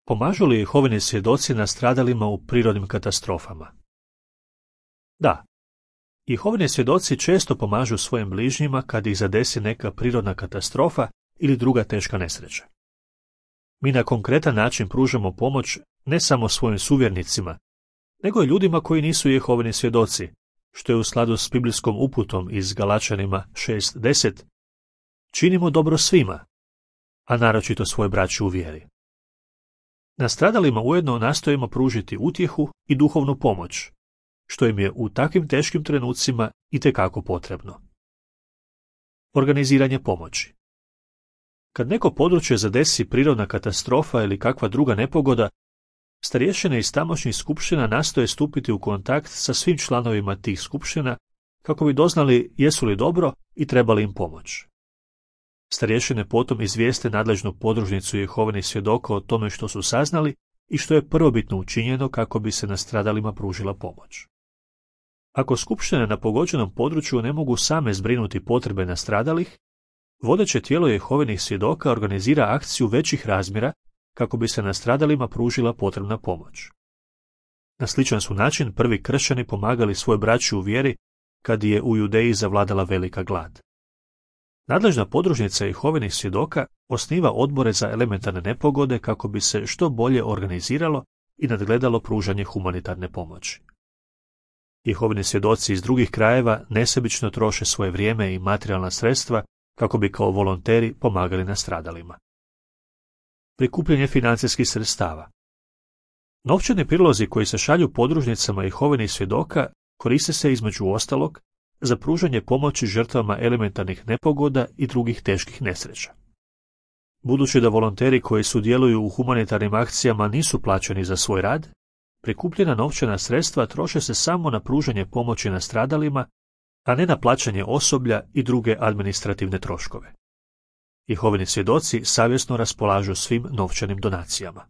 Pomažu li Jehovini svjedoci nastradalima u prirodnim katastrofama? Da. Jehovini svjedoci često pomažu svojim bližnjima kad ih zadesi neka prirodna katastrofa ili druga teška nesreća. Mi na konkretan način pružamo pomoć ne samo svojim suvjernicima, nego i ljudima koji nisu Jehovini svjedoci, što je u skladu s biblijskom uputom iz Galačanima 6:10. Činimo dobro svima, a naročito svoje braći u vjeri. Nastradalima ujedno nastojimo pružiti utjehu i duhovnu pomoć, što im je u takvim teškim trenucima itekako potrebno. Organiziranje pomoći. Kad neko područje zadesi prirodna katastrofa ili kakva druga nepogoda, starješine iz tamošnjih skupština nastoje stupiti u kontakt sa svim članovima tih skupština kako bi doznali jesu li dobro i trebali im pomoć. Starješine potom izvijeste nadležnu podružnicu Jehovinih svjedoka o tome što su saznali i što je prvobitno učinjeno kako bi se nastradalima pružila pomoć. Ako skupštine na pogođenom području ne mogu same zbrinuti potrebe nastradalih, vodeće tijelo Jehovinih svjedoka organizira akciju većih razmjera kako bi se nastradalima pružila potrebna pomoć. Na sličan su način prvi kršćani pomagali svoj braći u vjeri kad je u Judeji zavladala velika glad. Nadležna podružnica Jehovinih svjedoka osniva odbore za elementarne nepogode kako bi se što bolje organiziralo i nadgledalo pružanje humanitarne pomoći. Jehovini svjedoci iz drugih krajeva nesebično troše svoje vrijeme i materijalna sredstva kako bi kao volonteri pomagali nastradalima. Prikupljanje financijskih sredstava. Novčani prilozi koji se šalju podružnicama Jehovinih svjedoka koriste se između ostalog za pružanje pomoći žrtvama elementarnih nepogoda i drugih teških nesreća. Budući da volonteri koji sudjeluju u humanitarnim akcijama nisu plaćeni za svoj rad, prikupljena novčana sredstva troše se samo na pružanje pomoći nastradalima, a ne na plaćanje osoblja i druge administrativne troškove. Jehovini svjedoci savjesno raspolažu svim novčanim donacijama.